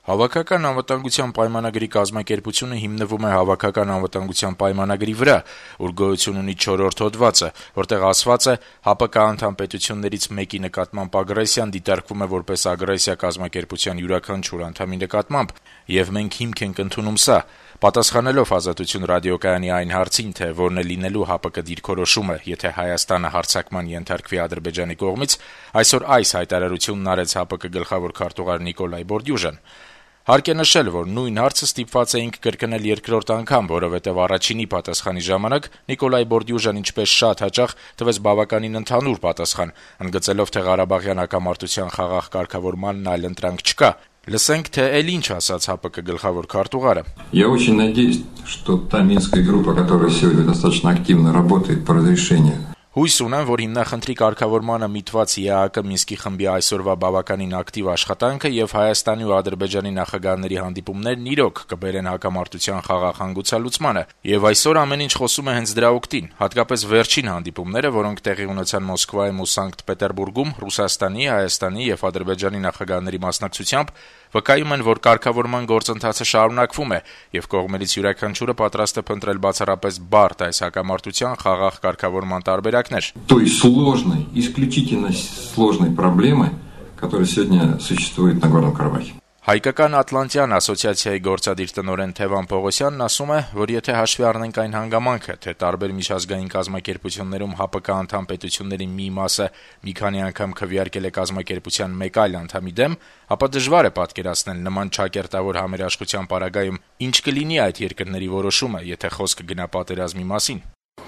Հավաքական անվտանգության պայմանագրի կազմակերպությունը հիմնվում է Հավաքական անվտանգության պայմանագրի վրա, որ գոյություն ունի 4-րդ հոդվածը, որտեղ ասված է. «ՀԱՊԿ անդամ պետություններից մեկի նկատմամբ ագրեսիան դիտարկվում է որպես ագրեսիա կազմակերպության յուրաքանչյուր անդամի նկատմամբ, եւ մենք հիմք ենք ընդունում սա»։ Պատասխանելով «Ազատություն» ռադիոկայանի այն հարցին, թե որն է լինելու ՀԱՊԿ դիրքորոշումը, եթե Հայաստանը հարձակման ենթարկվի Ադրբեջանի կողմից, այսօր այս հայտարարությունն արեց ՀԱՊԿ գլխավոր քարտուղար Նիկոլայ Բորդյուժան։ Հարկ է նշել, որ նույն հարցը ստիպված էինք կրկնել երկրորդ անգամ, որովհետև առաջինի պատասխանի ժամանակ Նիկոլայ Բորդյուժան ինչպես շատ հաճախ տվեց բավականին ընդհանուր պատասխան, ընդգծելով, թե Ղարաբաղյան հակամարտության խաղաղ կարգավորմանն այլընտրանք չկա։ Լսենք, թե էլ ինչ ասաց ՀԱՊԿ գլխավոր քարտուղարը։ Я очень надеюсь, что та Минская группа, которая сегодня достаточно активно работает по разрешению. Հույս ունեմ, որ հիմնախնդրի կարգավորմանը միտված ԵԱՀԿ Մինսկի խմբի այսօրվա բավականին ակտիվ աշխատանքը եւ Հայաստանի ու Ադրբեջանի նախագահների հանդիպումներն իրոք կբերեն հակամարտության խաղաղ հանգուցալուծմանը, եւ այսօր ամեն ինչ խոսում է հենց դրա օգտին, հատկապես վերջին հանդիպումները, որոնք տեղի ունեցան Մոսկվայում ու Սանկտ Պետերբուրգում Ռուսաստանի, Հայաստանի եւ Ադրբեջանի նախագահների մասնակցությամբ, վկայում են, որ կարգավորման գործընթացը շարունակվում է եւ կողմերից յուրաքանչյուրը պատրաստ է փնտրել բացառապես բարդ այս հակամարտության խաղաղ կարգավորման տարբերակներ։ Той сложной, исключительно сложной проблемы, которая сегодня существует на Горном Карабахе. Հայկական Ատլանտյան ասոցիացիայի գործադիր տնօրեն Թևան Պողոսյանն ասում է, որ եթե հաշվի առնենք այն հանգամանքը, թե տարբեր միջազգային կազմակերպություններում ՀԱՊԿ անդամ պետությունների մի մասը մի քանի անգամ քվեարկել է կազմակերպության մեկ այլ անդամի դեմ, ապա դժվար է պատկերացնել նման չակերտավոր համերաշխության պարագայում ինչ կլինի այդ երկրների որոշումը, եթե խոսքը գնա պատերազմի մասին։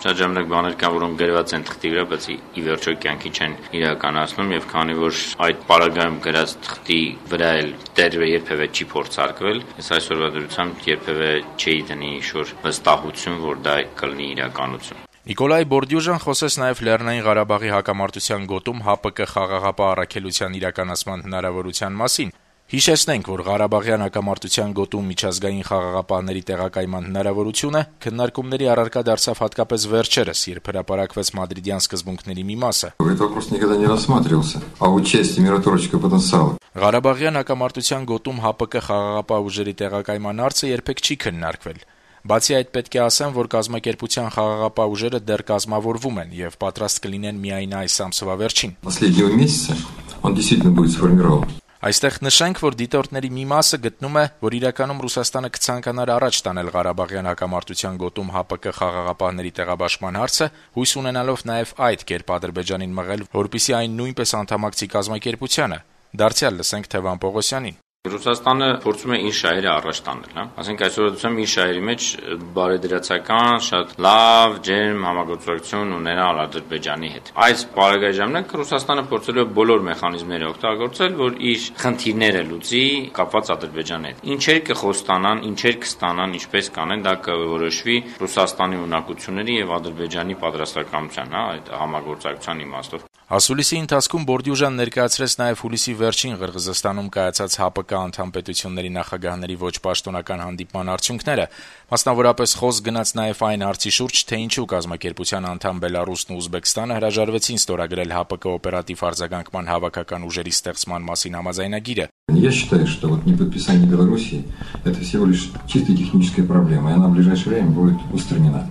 Շատ ժամանակ բաներ կան, որոնք գրված են թղթի վրա, բայց ի վերջո կյանքի չեն իրականացնում, եւ քանի որ այդ պարագայում գրած թղթի վրա էլ դեռ երբևէ չի փորձարկվել, ես այսօրվա դրությամբ երբևէ չի դնի ինչ-որ վստահություն, որ դա կլինի իրականություն։ Նիկոլայ Բորդյուժան խոսեց նաև Լեռնային Ղարաբաղի հակամարտության գոտում ՀԱՊԿ խաղաղապահ առաքելության իրականացման հնարավորության մասին։ Հիշեցնենք, որ Ղարաբաղյան հակամարտության գոտում միջազգային խաղաղապահների տեղակայման հնարավորությունը քննարկումների առարկա դարձավ հատկապես վերջերս, երբ հրապարակվեց մադրիդյան սկզբունքների մի մասը։ Этот вопрос никогда не рассматривался, а участие миротворческого потенциала. Ղարաբաղյան հակամարտության գոտում ՀԱՊԿ խաղաղապահ ուժերի տեղակայման հարցը երբեք չի քննարկվել։ Բացի այդ, պետք է ասեմ, որ կազմակերպության խաղաղապահ ուժերը դեռ կազմավորվում են եւ պատրաստ կլինեն միայն այս ամսվա վերջին։ Последнего месяца он действительно будет сформирован. Այստեղ նշենք, որ դիտորդների մի մասը գտնում է, որ իրականում Ռուսաստանը կցանկանար առաջ տանել Ղարաբաղյան հակամարտության գոտում ՀԱՊԿ խաղաղապահների տեղաբաշխման հարցը, հույս ունենալով նաև այդ կերպ Ադրբեջանին մղել, որպեսզի այն նույնպես անդամակցի կազմակերպությանը։ Դարձյալ լսենք Թևան Պողոսյանին։ Ռուսաստանը փորձում է իր շահերը առաջ տանել, հա։ Ասենք այսօրացում իր շահերի մեջ բարեդրացական, շատ լավ, ջերմ համագործակցություն ունենալ Ադրբեջանի հետ։ Այս բարեկարգ ժամանակ Ռուսաստանը փորձել է բոլոր մեխանիզմները օգտագործել, որ իր խնդիրները լուծի կապված Ադրբեջանի հետ։ Ինչեր կխոստանան, ինչեր կստանան, ինչպես կանեն, դա կորոշվի Ռուսաստանի ունակությունների եւ Ադրբեջանի պատրաստակամության, հա, այդ համագործակցության իմաստով։ Ասուլիսի ընթացքում Բորդյուժան ներկայացրեց նաև հուլիսի վերջին Ղրղզստանում կայացած ՀԱՊԿ անդամ պետությունների նախագահների ոչ պաշտոնական հանդիպման արդյունքները, մասնավորապես խոսք գնաց նաև այն հարցի շուրջ, թե ինչու կազմակերպության անդամ Բելարուսն ու Ուզբեկստանը հրաժարվեցին ստորագրել ՀԱՊԿ օպերատիվ արձագանքման հավաքական ուժերի ստեղծման մասին համաձայնագիրը։ Я считаю, что вот неподписание Белоруссии это всего лишь чисто техническая проблема, и она в ближайшее время будет устранена.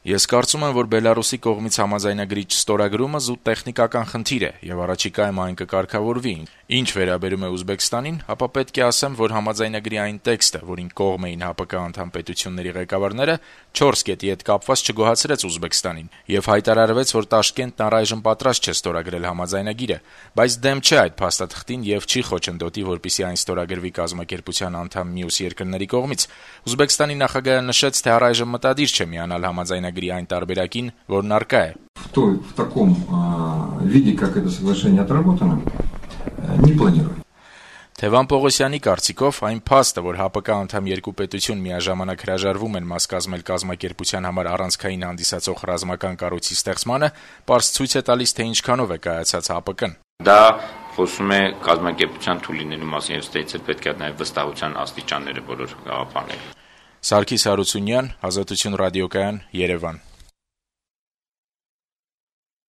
Ես կարծում եմ, որ Բելարուսի կողմից համաձայնագրի չստորագրումը զուտ տեխնիկական խնդիր է եւ առաջիկայում այն կկարգավորվի։ Ինչ վերաբերում է Ուզբեկստանին, ապա պետք է ասեմ, որ համաձայնագրի այն տեքստը, որին կողմ էին ՀԱՊԿ անդամ պետությունների ղեկավարները, 4 կետի հետ կապված չգոհացրեց Ուզբեկստանին եւ հայտարարվեց, որ Տաշկենտն առայժմ պատրաստ չէ ստորագրել համաձայնագիրը, բայց դեմ չէ այդ փաստաթղթին եւ չի խոչընդոտի, որպեսզի այն ստորագրվի կազմակերպության անդամ մյուս երկրների կողմից։ Ուզբեկստանի նախագահը նշեց, թե առայժմ մտադիր չէ միանալ համաձայնագրի այն տարբերակին, որն առկա է։ В таком виде, как это соглашение отработано, не планирую. Թևան Պողոսյանի կարծիքով այն փաստը, որ ՀԱՊԿ անդամ երկու պետություն միաժամանակ հրաժարվում են մաս կազմել կազմակերպության համար առանցքային հանդիսացող ռազմական կառույցի ստեղծմանը, պարզ ցույց է տալիս, թե ինչքանով է կայացած ՀԱՊԿ-ն։ Դա խոսում է կազմակերպության թույլինելու մասին եւ ստեյցը պետք է նաեւ վստահության աստիճանները բոլոր գաղափարները։ Սարգիս Հարությունյան, Ազատություն ռադիոկայան, Երևան։